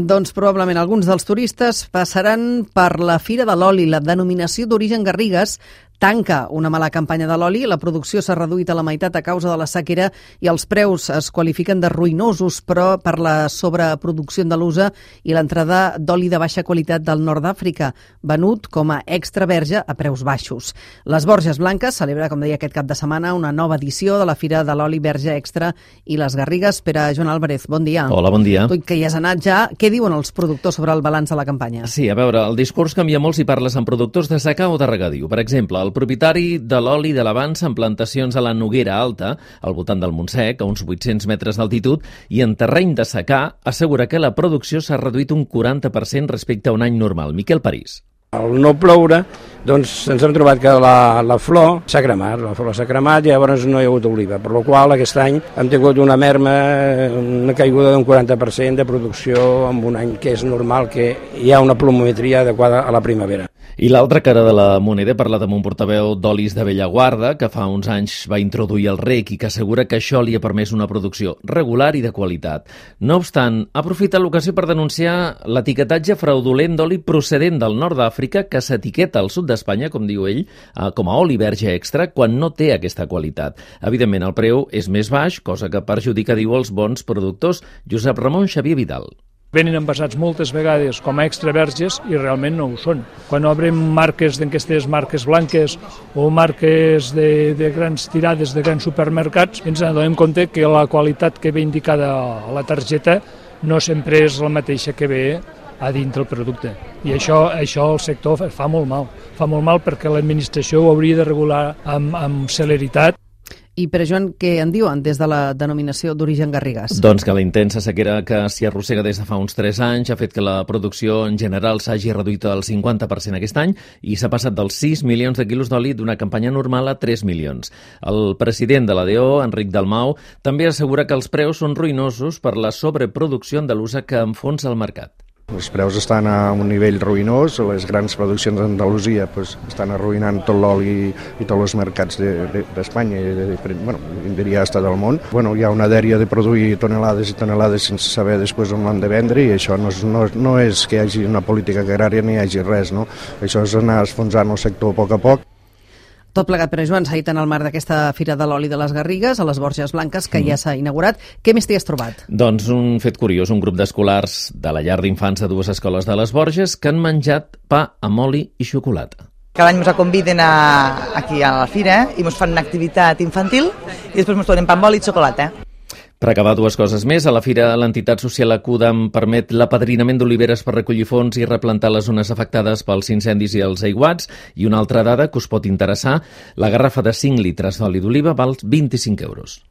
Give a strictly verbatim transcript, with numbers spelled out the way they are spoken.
Doncs probablement alguns dels turistes passaran per la Fira de l'Oli. La denominació d'origen Garrigues tanca una mala campanya de l'oli. La producció s'ha reduït a la meitat a causa de la sequera i els preus es qualifiquen de ruïnosos, però per la sobreproducció andalusa i l'entrada d'oli de baixa qualitat del nord d'Àfrica, venut com a extra verge a preus baixos. Les Borges Blanques celebra, com deia, aquest cap de setmana una nova edició de la Fira de l'Oli Verge Extra i les Garrigues. Pere Joan Álvarez, bon dia. Hola, bon dia. Tu que hi has anat ja, què diuen els productors sobre el balanç de la campanya? Sí, a veure, el discurs canvia molt si parles amb productors de secà o de regadiu. Per exemple, el propietari de l'oli de l'Avança en plantacions a la Noguera Alta, al voltant del Montsec, a uns vuit-cents metres d'altitud, i en terreny de secà, assegura que la producció s'ha reduït un quaranta per cent respecte a un any normal. Miquel París. Al no ploure, doncs ens hem trobat que la, la flor s'ha cremat, la flor s'ha cremat i llavors no hi ha hagut oliva, per la qual aquest any hem tingut una merma, una caiguda d'un quaranta per cent de producció en un any que és normal, que hi ha una pluviometria adequada a la primavera. I l'altra cara de la moneda, parla amb un portaveu d'olis de Bellaguarda, que fa uns anys va introduir el rec i que assegura que això li ha permès una producció regular i de qualitat. No obstant, aprofita l'ocasió per denunciar l'etiquetatge fraudulent d'oli procedent del nord d'Àfrica que s'etiqueta al sud d'Espanya, com diu ell, com a oli verge extra, quan no té aquesta qualitat. Evidentment, el preu és més baix, cosa que perjudica, diu, els bons productors. Josep Ramon Xavier Vidal. Venen envasats moltes vegades com a extra verges i realment no ho són. Quan obrim marques d'aquestes marques blanques o marques de, de grans tirades de grans supermercats, ens adonem compte que la qualitat que ve indicada a la targeta no sempre és la mateixa que ve a dintre el producte. I això, això el sector fa molt mal. Fa molt mal perquè l'administració ho hauria de regular amb, amb celeritat. I, Pere Joan, què en diuen des de la denominació d'origen Garrigues? Doncs que la intensa sequera que s'hi arrossega des de fa uns tres anys ha fet que la producció en general s'hagi reduït al cinquanta per cent aquest any i s'ha passat dels sis milions de quilos d'oli d'una campanya normal a tres milions. El president de l'A D O, Enric Dalmau, també assegura que els preus són ruïnosos per la sobreproducció andalusa que enfonsa el mercat. Els preus estan a un nivell ruïnós, les grans produccions d'Andalusia pues, estan arruïnant tot l'oli i tots els mercats d'Espanya de, de, i de, bueno, diria hasta del món. Bueno, hi ha una dèria de produir tonelades i tonelades sense saber després on l'han de vendre i això no és, no, no és que hi hagi una política agrària ni hi hagi res, no? Això és anar esfonsant el sector a poc a poc. Tot plegat, Pere Joan, s'ha dit en el marc d'aquesta Fira de l'Oli de les Garrigues, a les Borges Blanques, que mm. ja s'ha inaugurat. Què més t'hi has trobat? Doncs un fet curiós, un grup d'escolars de la llar d'infants de dues escoles de les Borges que han menjat pa amb oli i xocolata. Cada any ens conviden a, aquí a la fira i ens fan una activitat infantil i després ens donen pa amb oli i xocolata. Per acabar, dues coses més. A la fira, l'entitat social Acudam permet l'apadrinament d'oliveres per recollir fons i replantar les zones afectades pels incendis i els aiguats. I una altra dada que us pot interessar, la garrafa de cinc litres d'oli d'oliva val vint-i-cinc euros.